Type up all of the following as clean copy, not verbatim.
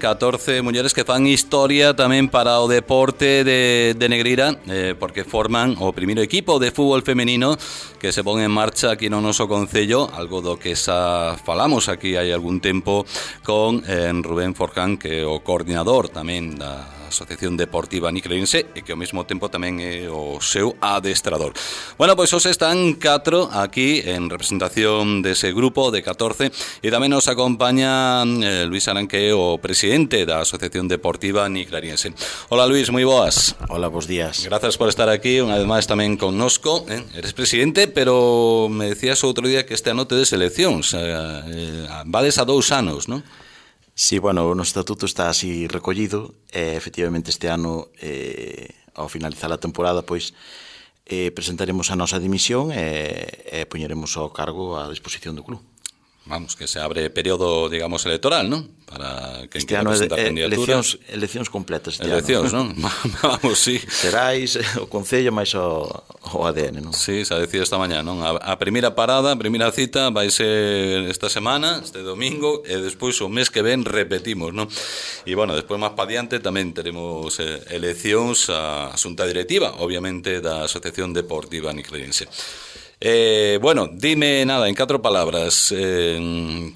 14 mulleres que fan historia tamén para o deporte de Negreira, porque forman o primeiro equipo de fútbol femenino que se pon en marcha aquí no noso concello, algo do que xa falamos aquí hai algún tempo con Rubén Forján, que é o coordinador tamén da Asociación Deportiva Niclariense e que ao mesmo tempo tamén é o seu adestrador. Bueno, pois hoxe están 4 aquí en representación dese grupo de 14 e tamén nos acompaña Luis Arán, que é o presidente da Asociación Deportiva Niclariense. Hola Luis, moi boas. Hola, bos días. Grazas por estar aquí, unha vez máis tamén connosco. Eres presidente, pero me decías outro día que este ano tedes eleccións. Vades a 2 anos, non? Sí, bueno, o noso estatuto está así recollido. Efectivamente, este ano, ao finalizar a temporada, pois, presentaremos a nosa dimisión e poñeremos o cargo á disposición do club. Vamos, que se abre período, digamos, electoral, non? Para que este ano eleccións completas este eleccións, ano. Non? Vamos, sí. Serais o Concello máis o ADN, non? Sí, se ha decidido esta mañá, non? A primeira parada, a primeira cita vai ser esta semana, este domingo, e despois o mes que ven repetimos, non? E, bueno, despois máis pa diante tamén teremos eleccións a xunta directiva, obviamente, da Asociación Deportiva Niclariense. Bueno, dime nada, en 4 palabras,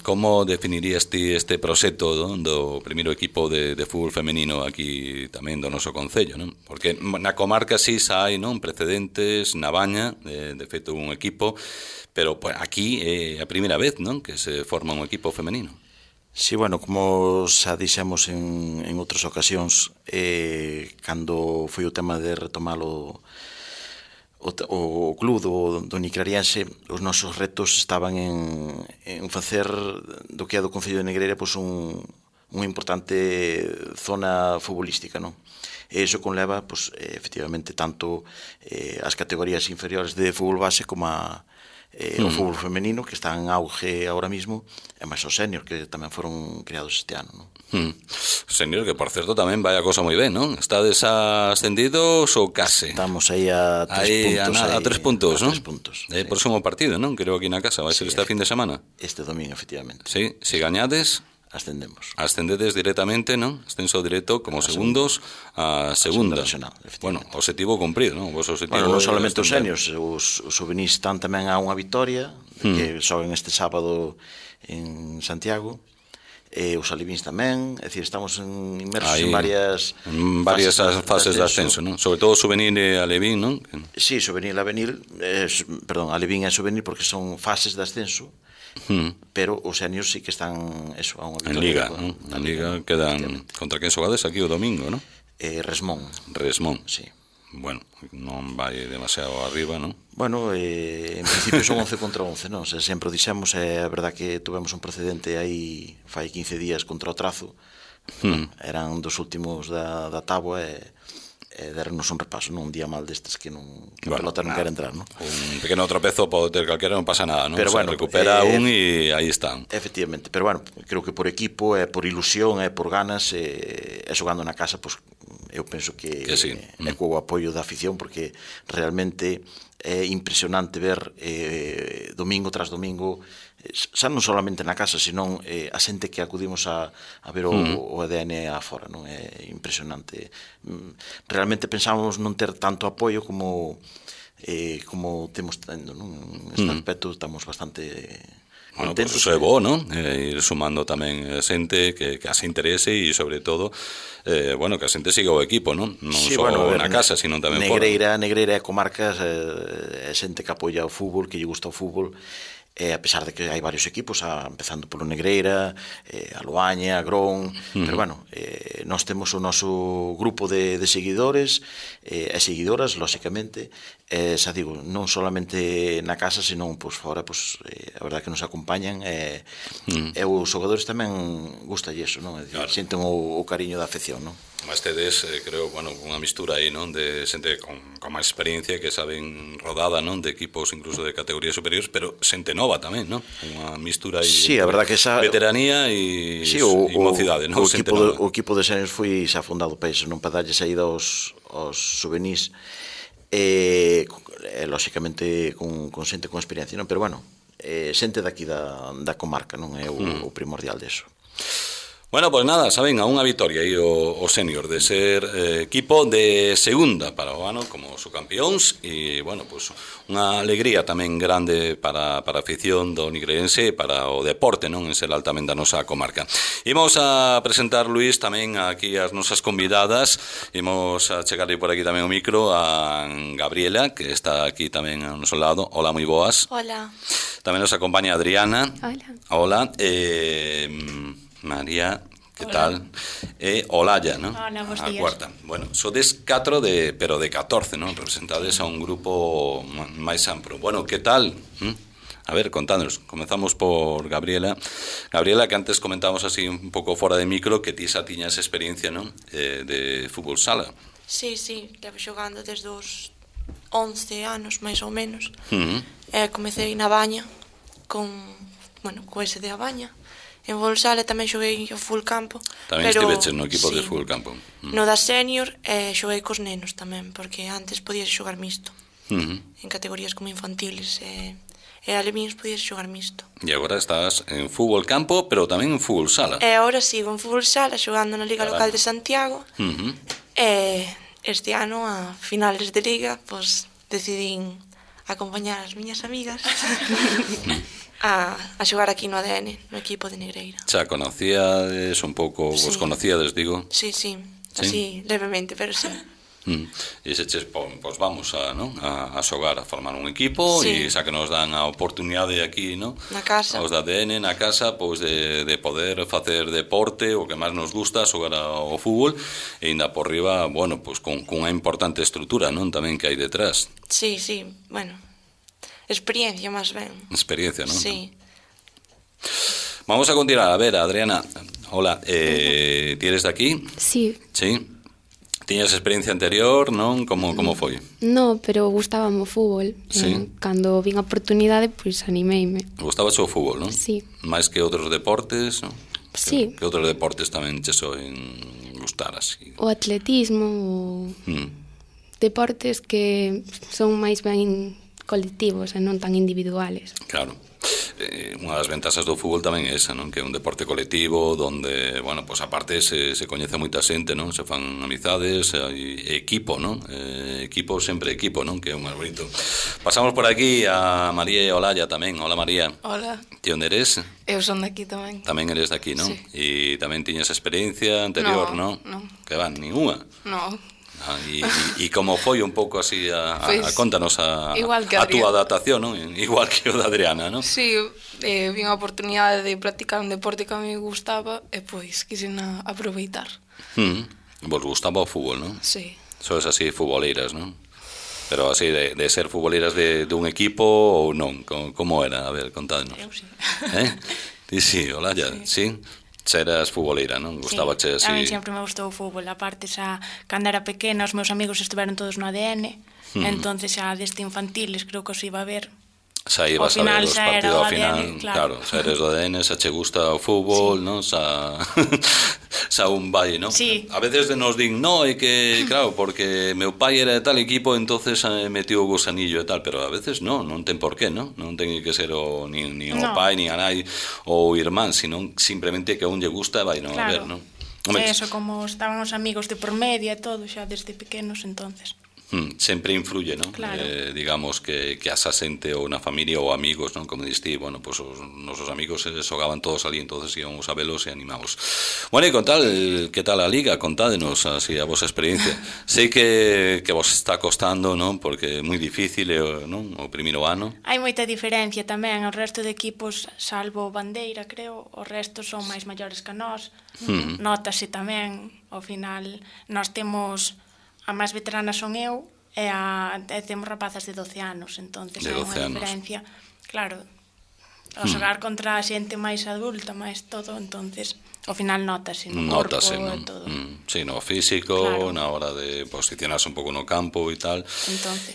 como definirías ti este proxecto do primeiro equipo de fútbol femenino aquí tamén do noso concello, non? Porque na comarca sí xa hai, non, precedentes, na Baña, de feito un equipo, pero pues, aquí é a primeira vez, non, que se forma un equipo femenino. Sí, bueno, como xa dixemos en outras ocasións, cando foi o tema de retomalo o club do Niclariense, os nosos retos estaban en facer do que é do Concello de Negreira pois unha importante zona futbolística, non? E iso conleva, pois, efectivamente, tanto as categorías inferiores de fútbol base como o fútbol femenino, que está en auge ahora mismo, e máis os senior, que tamén foron creados este ano, non? Senior, que por certo tamén vai a cosa moi ben, non? Estades ascendidos ou case? Estamos aí a 3 puntos. A 3 puntos, non? 3 puntos. É o próximo partido, non? Creo aquí na casa, vai ser este fin de semana. Este domingo, efectivamente. Sí, se gañades, ascendedes directamente, non? Ascenso directo como segundos a segunda. Bueno, objetivo cumprido, non? Vos objetivo, bueno, non solamente os seniors, os juvenis están tamén a unha vitoria, que xogan este sábado en Santiago. Os alevins tamén, é dicir, estamos inmersos en varias fases de ascenso, non? Sobre todo juvenil e alevín, non? Sí, juvenil e avenil, perdón, alevín e juvenil porque son fases de ascenso, pero os seniors sí que están eso, a unha En victoria. Liga, non? En Liga quedan contra quen xogades aquí o domingo, non? Resmón. Sí. Bueno, non vai demasiado arriba, non? Bueno, en principio son 11 contra 11, non? Sempre o dixemos, é a verdad que tuvemos un precedente aí fai 15 días contra o Trazo, eran dos últimos da táboa e dernos un repaso, non? Un día mal destes que a pelota non quere entrar, non? Un pequeno tropezo pode ter calquera, non pasa nada, non? Pero bueno, recupera un e aí están. Efectivamente, pero bueno, creo que por equipo, por ilusión, por ganas, xogando na casa, pois eu penso que sí. É co apoio da afición, porque realmente é impresionante ver domingo tras domingo, xa non solamente na casa, senón a xente que acudimos a ver o ADN afora, non? É impresionante. Realmente pensábamos non ter tanto apoio como temos tendo, non? Neste aspecto estamos bastante bueno, pois iso é bo, non? Ir sumando tamén xente que se interese e, sobre todo, bueno, que a xente siga o equipo, non? Non sí, só bueno, na casa, sino tamén fora. Negreira é comarcas, é xente que apoia o fútbol, que lle gusta o fútbol, a pesar de que hai varios equipos, empezando polo Negreira, a Loaña, a Grón, pero bueno, nós temos o noso grupo de seguidores e seguidoras, lóxicamente, xa digo, non solamente na casa, senón fora, a verdad que nos acompañan, e os xogadores tamén gusta iso, non? Senten o cariño da afección, non? Mas tedes, creo, bueno, unha mistura aí, non? De xente con máis experiencia, que saben rodada, non? De equipos incluso de categorías superiores, pero xente nova tamén, non? Unha mistura aí, sí, a verdad que esa veteranía e mocidade, non? O equipo de seniors foi xa fundado para iso, non? Para darlle saída aos juvenis, lóxicamente con xente con experiencia, non? Pero bueno, xente daqui da comarca, non? É o primordial deso. Bueno, pues nada, saben, a unha vitoria aí o senior de ser equipo de segunda para o ano como subcampións e, bueno, pues unha alegría tamén grande para a afición do Nigreirense e para o deporte, non, en ser altamente da nosa comarca. Imos a presentar, Luís, tamén aquí as nosas convidadas. Imos a chegarle por aquí tamén o micro a Gabriela, que está aquí tamén ao noso lado. Hola, moi boas. Hola. Tamén nos acompaña Adriana. Hola. Hola. María, que tal? E Olaya, non? Hola, bons días. A cuarta. Bueno, sodes 4 pero de 14, non? Representades a un grupo máis amplo. Bueno, que tal? A ver, contádnos. Comezamos por Gabriela. Gabriela, que antes comentábamos así un pouco fora de micro, que ti xa tiñas experiencia, non? De fútbol sala. Sí, levo xogando desde os 11 anos, máis ou menos. Comecei na Baña, co ese de A Baña. En fútbol sala tamén xoguei o full campo. Tamén estiveches no equipo de full campo. No da senior xoguei cos nenos tamén, porque antes podías xogar mixto. En categorías como infantiles e alevíns podías xogar mixto. E agora estás en fútbol campo, pero tamén en fútbol sala. E agora sigo en fútbol sala xogando na Liga Local de Santiago. E este ano, a finales de Liga, pues decidín acompañar as miñas amigas a xogar aquí no ADN, no equipo de Negreira. Xa conocíades un pouco, vos conocíades, digo? Sí, así levemente, pero sí. E seches, pois vamos a xogar, a formar un equipo e xa que nos dan a oportunidade aquí, non? Na casa. Os da ADN, na casa, pois de poder facer deporte, o que máis nos gusta, xogar ao fútbol, e ainda por riba, bueno, pois con unha importante estrutura, non? Tamén que hai detrás. Sí, bueno, experiencia máis ben. Experiencia, non? Sí. Vamos a continuar, a ver, Adriana, hola, ti eres de aquí? Sí. Sí. Tiñas experiencia anterior, non? Como foi? No, pero gustábame o fútbol. Sí. Cando vin a oportunidade, pois animeime. Gustábache o fútbol, non? Sí. Mais que outros deportes, non? Sí. Que outros deportes tamén che soen gustar así? O atletismo, deportes que son máis ben colectivos e non tan individuales. Claro. Unha das ventaxas do fútbol tamén é esa, non? Que é un deporte colectivo donde, bueno, pues aparte se coñece moita xente, non? Se fan amizades, equipo, non? Equipo, sempre equipo, non? Que é un máis bonito. Pasamos por aquí a María e Olaya tamén. Hola, María. Hola. Ti onde eres? Eu son daqui tamén. Tamén eres daqui, non? Sí. E tamén tiñas experiencia anterior, non? Non. Que van, ninguna? Non. E como foi un pouco así contanos a túa adaptación, non? Igual que o da Adriana, non? Sí, vin a oportunidade de practicar un deporte que a mí me gustaba e pois quixen aproveitar. Vos gustaba o fútbol, non? Sí. Sois así futboleiras, non? Pero así de ser futboleiras de un equipo ou non? Como era? A ver, contádnos. Eu sí. Ti sí, Olaya, sí? Eras futboleira, non? Gustabache así? A mí sempre me gustou o fútbol. Aparte, xa, cando era pequena, os meus amigos estiveron todos no ADN, entonces xa desde infantiles creo que os iba a ver. Xa ibas a ver os partidos ao final, claro, xa eres do ADN, xa che gusta o fútbol, non? Xa un vai, non? Sí. A veces nos din, no, é que, claro, porque meu pai era de tal equipo, entonces metió o gusanillo e tal, pero a veces non ten por qué, non? Non ten que ser nin o pai, nin a nai ou o irmán, sino simplemente que a un lle gusta e vai non a ver, non? Eso, como estaban os amigos de por media e todo, xa desde pequenos, entonces... Sempre influye, non? Claro. Digamos que asa xente ou na familia ou amigos, non? Como diste, bueno, pues os nosos amigos xogaban todos ali, entonces íbamos a velos e animamos. Bueno, e que tal a Liga? Contádenos así a vosa experiencia. Sei que vos está costando, non? Porque é moi difícil, non? O primeiro ano. Hai moita diferencia tamén, o resto de equipos, salvo Bandeira, creo, os restos son máis maiores que nós. Nótase tamén, ao final, nós temos... A máis veterana son eu e temos rapazas de 12 anos, entonces hai unha diferencia. Claro, ao xogar contra a xente máis adulta, máis todo, entonces ao final notase no corpo e todo. Sí, no físico, na hora de posicionarse un pouco no campo e tal.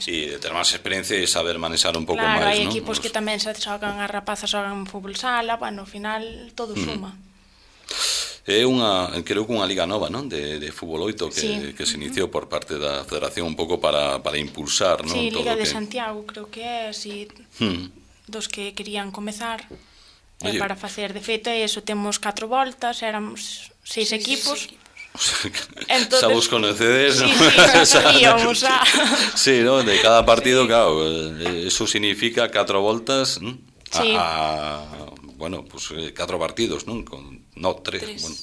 E ter máis experiencia e saber manexar un pouco máis, non? Claro, hai equipos que tamén se xogan, as rapazas xogan fútbol sala, bueno, ao final todo suma. É creo que unha liga nova, non? De fútbol 8 que se iniciou por parte da Federación un pouco para impulsar, non? Sí, Liga de Santiago creo que é así, dos que querían comezar. para facer. De feito, eso, temos 4 voltas, éramos 6 equipos. Entonces, xa vos conocedes, ¿no? Sí, íbamos a... Sí, ¿no? De cada partido, claro, eso significa 4 voltas, ¿no? Sí. Bueno, pues 4 partidos, ¿no? No, 3. Bueno,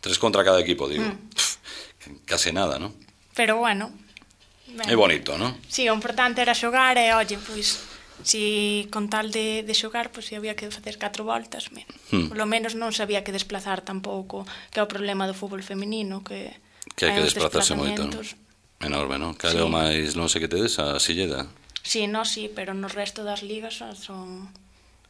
3 contra cada equipo, digo. Casi nada, ¿no? Pero bueno. É bonito, ¿no? Sí, o importante era xogar e, oye, pois... Si con tal de xogar, pois, si había que facer 4 voltas, polo menos non se había que desplazar tampouco, que é o problema do fútbol feminino, que hai que desplazarse moito, ¿no? Enorme, ¿no? Cal é o máis, non sei que tedes, a Silleda? Sí, no, sí, pero no resto das ligas son...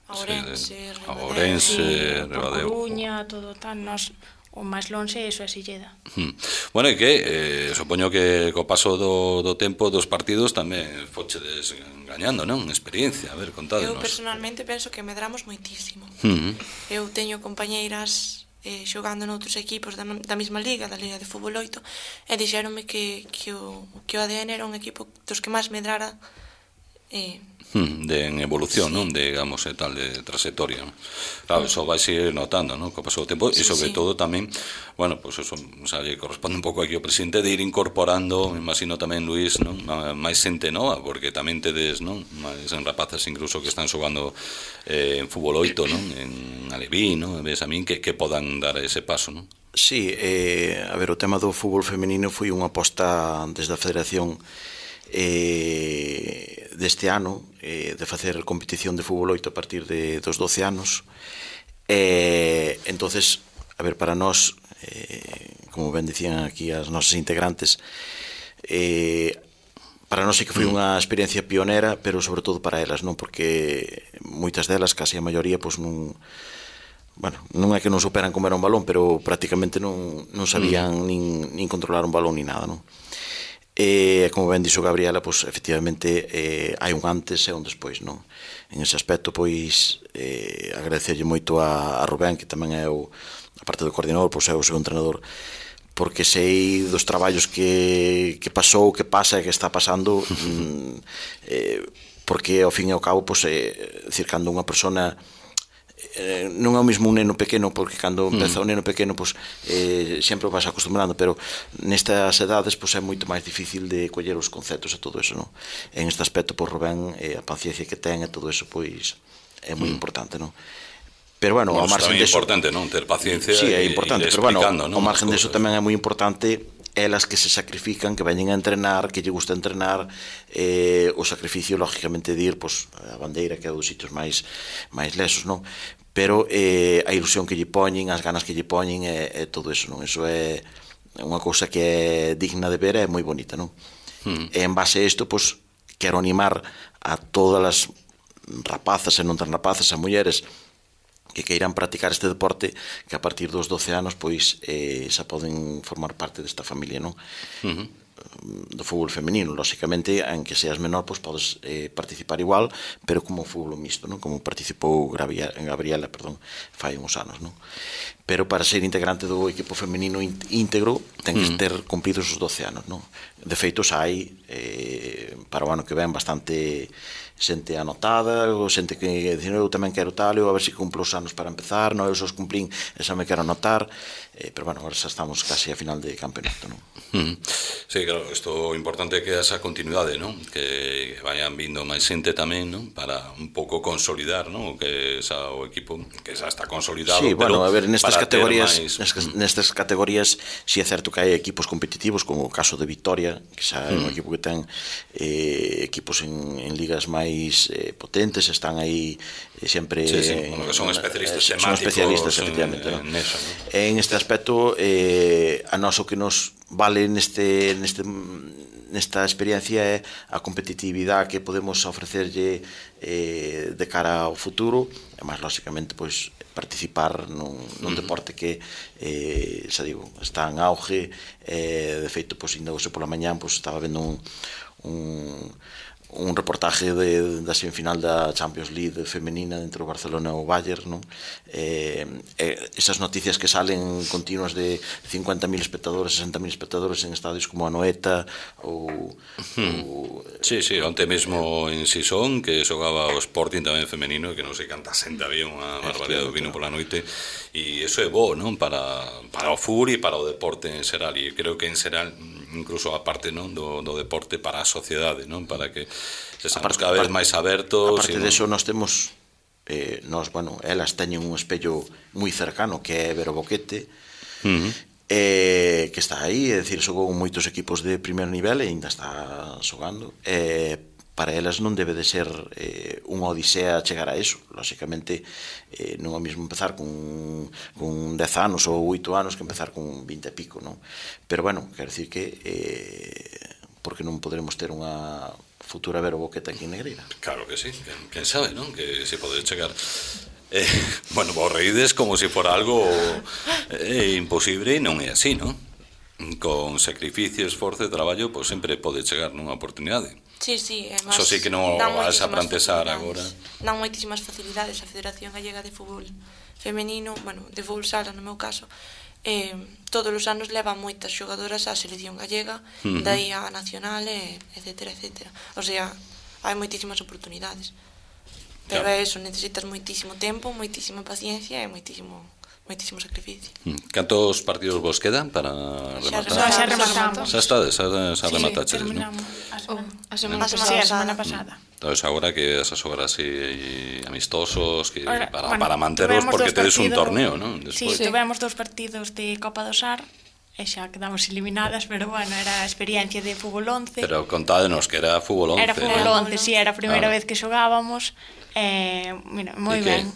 Ourense, Ribadeo, Coruña, todo tal, nos... O máis lonxe, iso é Silleda. Bueno, e que supoño que co paso do tempo dos partidos tamén fochedes gañando, non? Experiencia, a ver, contádenos. Eu personalmente penso que medramos moitísimo. Eu teño compañeiras xogando noutros equipos da mesma liga, da Liga de Fútbol 8, e dixéronme que o ADN era un equipo dos que máis medrara de evolución, non? Digamos, tal, de trayectoria, ¿no? Claro, eso vai seguir notando, ¿no? Co paso do tempo, e sobre todo tamén, bueno, pues eso, o sea, lle corresponde un pouco aquí ao presidente de ir incorporando, me imagino tamén, Luís, non? Máis xente nova, porque tamén tedes, non? Máis rapazas incluso que están xogando en fútbol 8, non? En Alevín, non? Ves a min que podan dar ese paso, non? Sí, a ver, o tema do fútbol femenino foi unha aposta desde a Federación deste ano, de facer competición de fútbol 8 a partir dos 12 anos. Entonces, a ver, para nós, como ben dicían aquí as nosas integrantes, para nós sí que foi unha experiencia pionera, pero sobre todo para elas, non? Porque moitas delas, casi a maioría, pois non... Bueno, non é que non superan como era un balón, pero prácticamente non sabían nin controlar un balón ni nada, non? E como ben dixo Gabriela, pois efectivamente hai un antes e un despois, non? En ese aspecto, pois agradecerlle moito a Rubén, que tamén é a parte do coordinador, pois é o seu entrenador, porque sei dos traballos que pasou, que pasa e que está pasando, porque ao fin e ao cabo, pois decir, cando unha persona non é o mesmo un neno pequeno, porque cando empeza o neno pequeno, pois sempre o vas acostumbrando, pero nestas edades pois é moito máis difícil de coller os conceptos e todo eso, non? En este aspecto, pois Rubén, a paciencia que ten e todo eso, pois é moi importante, non? Pero bueno, ao margen deso, é importante, non? Ter paciencia. Sí, é importante, pero bueno, ao margen deso tamén é moi importante elas que se sacrifican, que veñen a entrenar, que lle gusta entrenar, o sacrificio, lógicamente, de ir a Bandeira, que é dos sitios máis lesos, non? Pero a ilusión que lle poñen, as ganas que lle poñen, é todo eso, non? Eso é unha cousa que é digna de ver, é moi bonita, non? E en base a isto, pois, quero animar a todas as rapazas e non tan rapazas, a mulleres que queiran practicar este deporte, que a partir dos 12 anos pois xa poden formar parte desta familia, non? Do fútbol femenino, lógicamente, en que seas menor, pois podes participar igual, pero como fútbol mixto, non? Como participou Gabriela, fai uns anos, non? Pero para ser integrante do equipo femenino íntegro ten que ter cumpridos os 12 anos, non? De feito, xa hai para o ano que ven bastante xente anotada, ou xente que dicen eu tamén quero tal, eu a ver se cumplo os anos para empezar, non, eu só os cumplín e xa me quero anotar, pero bueno, agora xa estamos casi a final de campeonato, non? Sí, claro, isto importante é que esa continuidade, non? Que vayan vindo máis xente tamén, non? Para un pouco consolidar, non? Que xa o equipo que xa está consolidado. Sí, bueno, a ver, nestas categorías si é certo que hai equipos competitivos, como o caso de Vitoria, que xa é un equipo que ten equipos en ligas máis potentes, están aí sempre... Sí, bueno, que son especialistas temáticos. Son especialistas, efectivamente, non? En este aspecto, a nós o que nos vale nesta experiencia é a competitividade que podemos ofrecerlle de cara ao futuro, e máis lógicamente pois participar nun deporte que xa digo, está en auge, de feito, pois ainda hoxe pola mañán pois estaba vendo un reportaje da semifinal da Champions League femenina entre o Barcelona e o Bayern, non? Esas noticias que salen continuas de 50.000 espectadores, 60.000 espectadores en estadios como Anoeta ou... Sí, onte mesmo en Sison, que xogaba o Sporting tamén femenino, que non sei canta xente había, unha barbaridade do vino pola noite, e iso é bo, non? Para o fútbol e para o deporte en xeral, e creo que en xeral incluso a parte, non, do deporte para a sociedade, non? Para que sexamos cada vez máis abertos. A parte deso, nós temos elas teñen un espello moi cercano que é Vero Boquete, que está aí, é dicir, xogou con moitos equipos de primer nivel e ainda está xogando. Para elas non debe de ser unha odisea chegar a eso. Lóxicamente non é o mesmo empezar con 10 anos ou 8 anos que empezar con 20 e pico, non? Pero bueno, quero dicir que porque non poderemos ter unha futura Vero Boquete aquí en Negreira. Claro que sí, quen sabe, non? Que se pode chegar. Bueno, vos reídes como se fora algo imposible e non é así, non? Con sacrificio, esforzo e traballo, pois sempre pode chegar nunha oportunidade. Sí, Eso sí que non vas a plantexar agora. Dan moitísimas facilidades a Federación Gallega de Fútbol Femenino, bueno, de fútbol sala no meu caso, todos os anos levan moitas xogadoras á selección gallega, daí a nacional, etcétera. O sea, hai moitísimas oportunidades. Pero é eso, necesitas moitísimo tempo, moitísima paciencia e moitísimo sacrificio. Cantos partidos vos quedan para rematar? Xa rematamos. Xa remataches, non? A semana pasada. Entón, agora que esas obras así amistosos para manteros, porque tedes un torneo, non? Sí, tivemos 2 partidos de Copa do Sar e xa quedamos eliminadas, pero bueno, era a experiencia de fútbol 11. Pero contádenos que era fútbol 11. Era fútbol 11, sí, era a primeira vez que xogábamos. Mira, moi ben.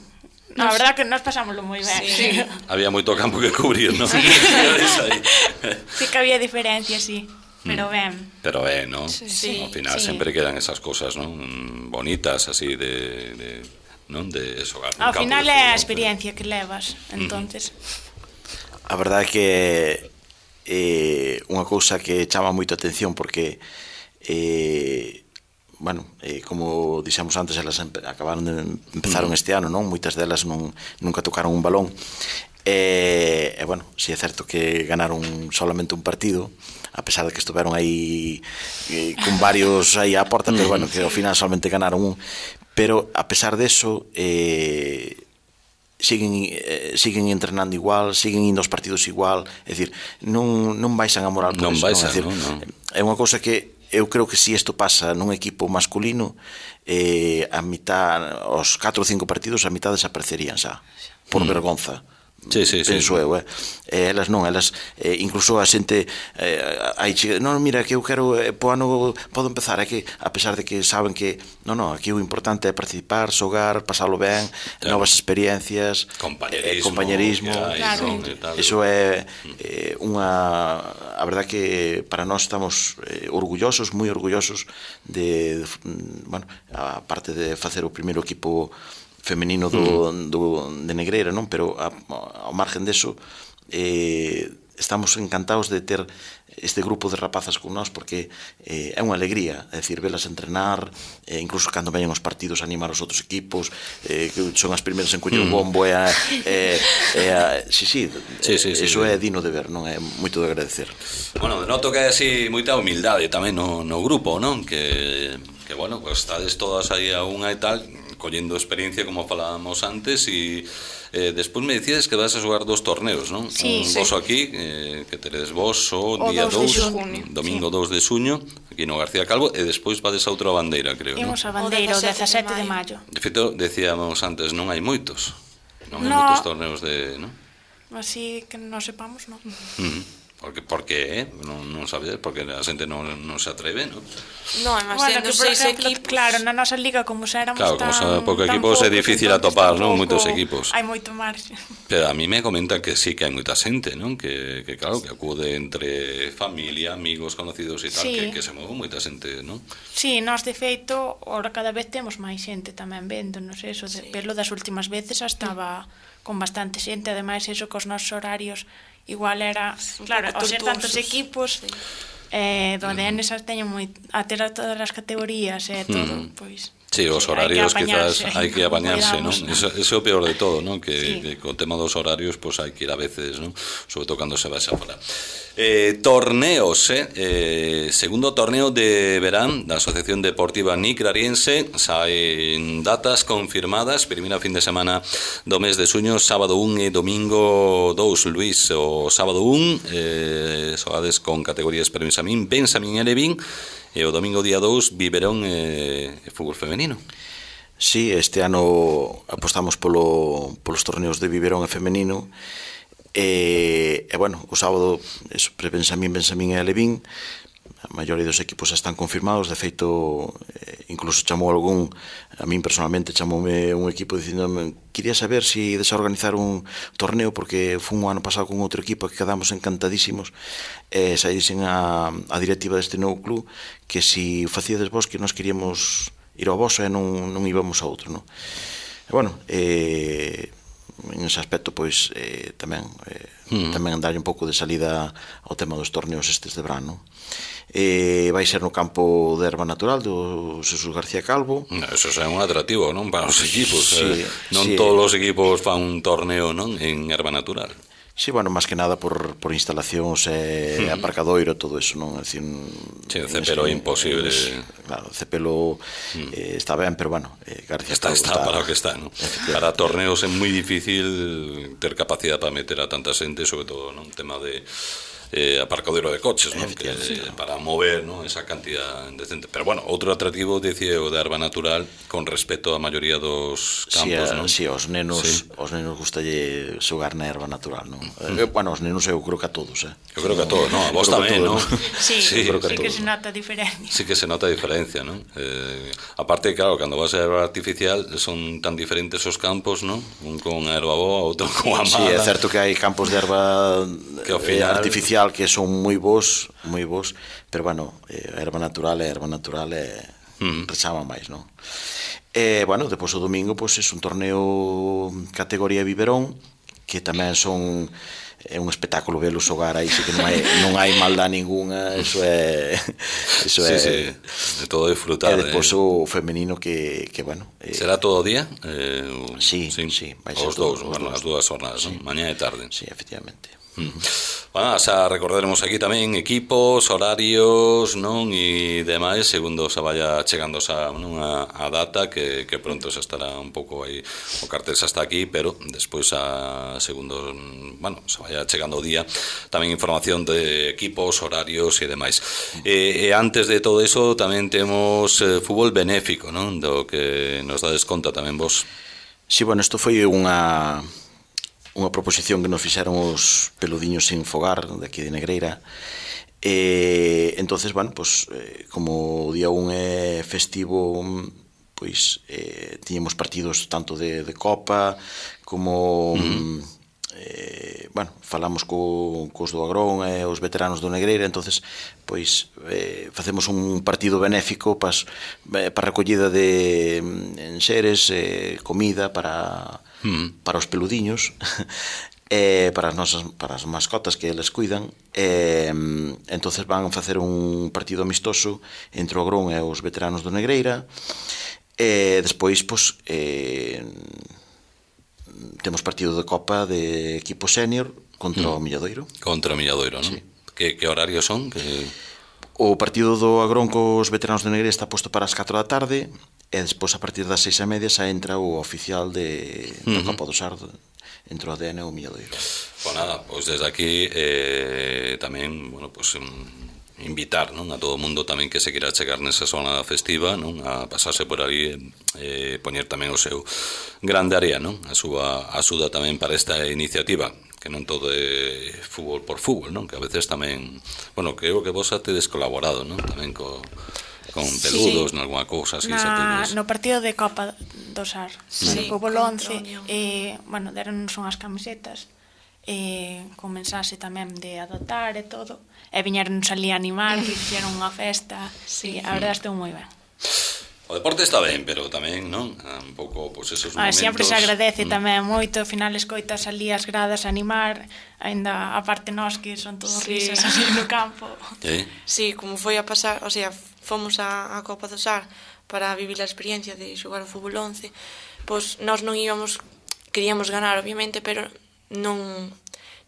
A verdad que nos pasámoslo moi ben. Sí. Había moito campo que cubrir, non? Sí que había diferencia, sí. Pero ben. Pero ben, non? Sí. Ao final sempre quedan esas cosas, non? Bonitas, así, non? De xogar. Ao final é a experiencia que levas, entonces. A verdade é que unha cousa que chama moito a atención porque como dixemos antes, elas empezaron este ano, non? Moitas delas nunca tocaron un balón. Si é certo que ganaron solamente un partido, a pesar de que estuveron aí con varios aí á porta, pero bueno, que ao final solamente ganaron un. Pero a pesar deso, siguen entrenando igual, siguen indo aos partidos igual, é dicir, non baixan a moral por non eso, baixan, non? É unha cousa que eu creo que se isto pasa nun equipo masculino, a mitad, os 4 ou 5 partidos, a mitad desaparecerían xa, por vergonza. Penso eu, elas non, elas incluso a xente non, mira, que eu quero po ano podo empezar, é que a pesar de que saben que aquí o importante é participar, xogar, pasalo ben, novas experiencias, compañerismo, iso é unha, a verdade que para nós estamos orgullosos, moi orgullosos de a parte de facer o primeiro equipo femenino de Negreira, non? Pero ao margen deso estamos encantados de ter este grupo de rapazas con nós porque é unha alegría, é dicir, velas entrenar, incluso cando veñen os partidos animar os outros equipos, que son as primeiras en coller o bombo, iso é digno de ver, non? É moito de agradecer. Bueno, denoto que hai así moita humildade tamén no grupo, non? Que bueno, pues estades todas aí a unha e tal, collendo experiencia como falábamos antes e despois me dicíades que vas a xogar 2 torneos, non? Sí, un voso aquí, que teredes vos o día 2, domingo 2 de xuño, aquí no García Calvo, e despois vades a outra bandeira, creo, non? Imos a bandeira o 17 de maio. De feito, decíamos antes, non hai moitos. Non hai moitos torneos de, non? Así que non sepamos, non? Porque non sabedes, porque a xente non se atreve, non? Non, mas sendo 6 equipos. Claro, na nosa liga, como xa éramos tan poucos equipos, é difícil atopar, non? Moitos equipos. Hai moito marxe. Pero a mí me comentan que sí que hai moita xente, non? Que claro, que acude entre familia, amigos, conocidos e tal, que se move moita xente, non? Sí, nós de feito, ahora cada vez temos máis xente tamén vendo, non sei, eso, verlo das últimas veces estaba con bastante xente, ademais eso cos nosos horarios igual era, claro, ao ser tantos equipos Do ADN xa teño a ter todas as categorías e todo, pois... Sí, os horarios quizás hai que apañarse, non? Eso é o peor de todo, non? Que co tema dos horarios pois hai que ir a veces, non? Sobre todo cando se vai xa fora. Torneos, segundo torneo de verán da Asociación Deportiva Nicrariense, saen datas confirmadas, primeira fin de semana do mes de xuño, sábado 1 e domingo 2, Luís, o sábado 1 xogades con categorías Benxamín e Levín, e o domingo día 2 Viverón e fútbol femenino. Sí, este ano apostamos polos torneos de Viverón e femenino e bueno, o sábado Benxamín e Levín, a maioría dos equipos están confirmados. De feito, incluso chamou algún, a min personalmente chamoume un equipo dicindome quería saber se ides a organizar un torneo porque fun o ano pasado con outro equipo que quedamos encantadísimos e saísen a directiva deste novo club que se facíades vos que nos queríamos ir ao voso e non íbamos a outro, non? E bueno, en ese aspecto pois tamén andarlle un pouco de salida ao tema dos torneos estes de verán, non? Vai ser no campo de erva natural do Jesús García Calvo. Eso é un atractivo, non? Para os equipos, non sí, todos os equipos fan un torneo, non? En erva natural. Sí, bueno, máis que nada por instalacións e aparcadoiro, todo eso, non? Sí, o Cepelo é imposible. Claro, o Cepelo está ben, pero bueno, García Calvo está para o que está, non? Para torneos é moi difícil ter capacidade para meter a tanta xente, sobre todo, non? Tema de aparcadero de coches, ¿no? Que, para mover, ¿no? Esa cantidad decente. Pero bueno, outro atractivo decía o de erva natural con respecto á maioría dos campos, ¿no? Sí, os nenos gustalle xogar na erva natural, ¿no? Bueno, os nenos eu creo que a todos, Eu creo que a todos, ¿no? A vos tamén, ¿no? Sí, que se nota a diferencia. Sí que se nota a diferencia, ¿no? Aparte, claro, cando vas a erva artificial son tan diferentes os campos, ¿no? Un con a erva boa, outro con a mala. Sí, é certo que hai campos de erva artificial que son moi bons, pero bueno, a erva natural rechama máis, non? Bueno, depois o domingo é un torneo categoría Viverón, que tamén son un espectáculo velo xogar aí, que non hai maldad ninguna, eso é de todo disfrutar. E depois o femenino que bueno, será todo o día? Sí, vai ser os dous, bueno, as dúas jornadas, mañá e tarde. Sí, efectivamente. Bueno, xa recordaremos aquí tamén equipos, horarios, non, e demais, segundo se vaya chegando a data, que pronto xa estará un pouco aí, o cartel xa está aquí, pero despois segundo, bueno, se vaya chegando o día, tamén información de equipos, horarios e demais. E antes de todo eso, tamén temos fútbol benéfico, non, do que nos dades conta tamén vos. Sí, bueno, isto foi unha proposición que nos fixeron os peludiños sin fogar de aquí de Negreira. Entonces, bueno, pues, como o día 1 é festivo, pois tiñemos partidos tanto de Copa como bueno, falamos cos do Agrón e os veteranos do Negreira. Entonces, pois facemos un partido benéfico para recollida de enxeres, comida para os peludiños, para as mascotas que eles cuidan. Entonces van a facer un partido amistoso entre o Agrón e os veteranos do Negreira. Despois, pois, temos partido de Copa de equipo senior contra o Milladoiro. Contra o Milladoiro, non? Sí. Que horarios son? O partido do Agrón cos veteranos de Negreira está posto para as 4 da tarde e despois a partir das 6:30 xa entra o oficial da Copa do Sar entre o ADN e o Milladoiro. Pois nada, pois desde aquí tamén, bueno, pois invitar, non, a todo o mundo tamén que se queira chegar nesa zona festiva, non, a pasarse por ali e poñer tamén o seu grande área, non, a súa axuda tamén para esta iniciativa, que non todo é fútbol por fútbol, non, que a veces tamén, bueno, creo que vos tedes colaborado, non, tamén con peludos, sí, nalgúna cousa así. No partido de Copa do Sar, sí, no fútbol 11, bueno, deronnos unhas camisetas con mensaxe tamén de adoptar e todo, e viñeronnos ali a animar, que fixeron unha festa, sí, a verdade estou moi ben. O deporte está ben, pero tamén, non? Un pouco, pois, esos momentos... Sempre se agradece tamén moito, ao final escoitas ali as gradas animar, aínda a parte nós que son todos risas así no campo. Sí, como foi a pasar, o sea, fomos a Copa do Sar para vivir a experiencia de xogar o fútbol 11, pois nós non íbamos, queríamos ganar, obviamente, pero non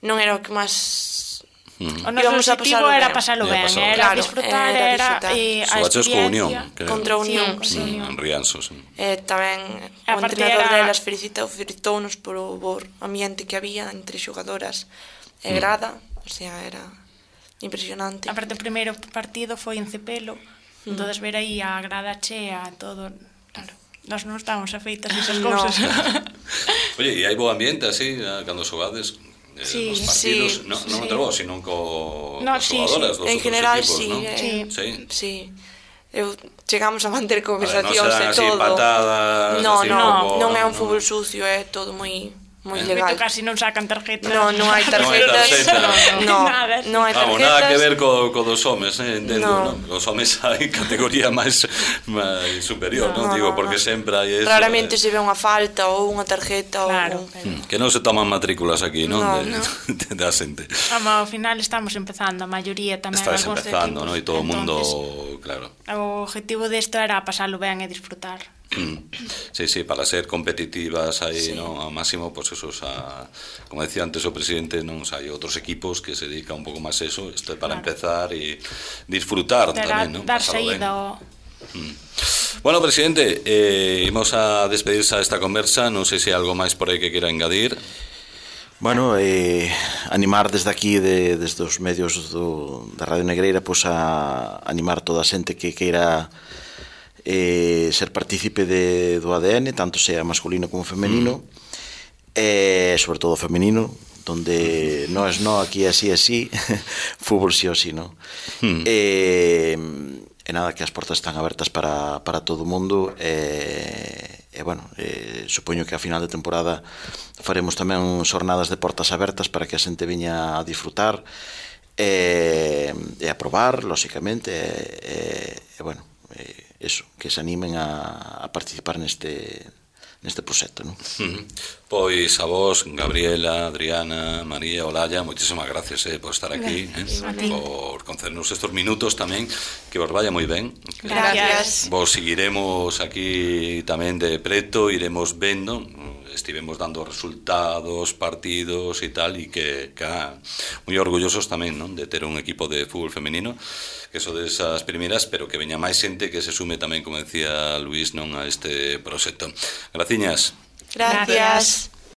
era o que máis... O noso objetivo era pasalo ben, era disfrutar, era a experiencia contra a Unión, en Rianxo. Tamén o entrenador delas felicitounos por o ambiente que había entre xogadoras e grada, o sea, era impresionante. A parte, o primeiro partido foi en Cepelo, entonces ver aí a grada chea, todo, claro, nós non estábamos afeitas esas cousas. Oye, e hai bo ambiente así, cando xogades? Nos partidos, non entre vos, sino cos xogadoras dos outros equipos, non? Sí. Chegamos a manter conversacións e todo. Non se dan así patadas... Non é un fútbol sucio, é todo moi legal. Casi non sacan tarjetas. Non hai tarjetas. Non hai tarjetas. Nada que ver co dos homes, entendo, non? Os homes hai categoría máis superior, non? Digo, porque sempre hai eso. Raramente se ve unha falta ou unha tarjeta. Que non se toman matrículas aquí, non? Da xente. Ao final estamos empezando, a maioría tamén. Estás empezando, non? E todo o mundo, claro. O objetivo desto era pasalo ben e disfrutar. Sí, para ser competitivas aí, non, ao máximo, pois eso, como decía antes o presidente, non, hai outros equipos que se dedican un pouco máis a eso, isto é para empezar e disfrutar tamén, non? Dar saída. Bueno, presidente, imos a despedirse a esta conversa, non sei se hai algo máis por aí que quera engadir. Bueno, animar desde aquí, desde os medios da Radio Negreira, pois a animar toda a xente que queira ser partícipe do ADN, tanto sea masculino como femenino, sobre todo femenino, donde no es no, aquí así, fútbol sí o sí, ¿no? E nada, que as portas están abertas para todo o mundo, bueno, supoño que a final de temporada faremos tamén xornadas de portas abertas para que a xente veña a disfrutar e a probar, lóxicamente, bueno, eso, que se animen a participar neste proxecto, non? Pois a vos, Gabriela, Adriana, María, Olaya, moitísimas gracias por estar aquí, por concedernos estes minutos tamén, que vos vaya moi ben. Gracias. Vos seguiremos aquí tamén de preto, iremos vendo, estivemos dando resultados, partidos e tal, e que moi orgullosos tamén, non, de ter un equipo de fútbol femenino, que son desas primeiras, pero que veña máis xente que se sume tamén, como decía Luís, non, a este proxecto. Graciñas. Gracias.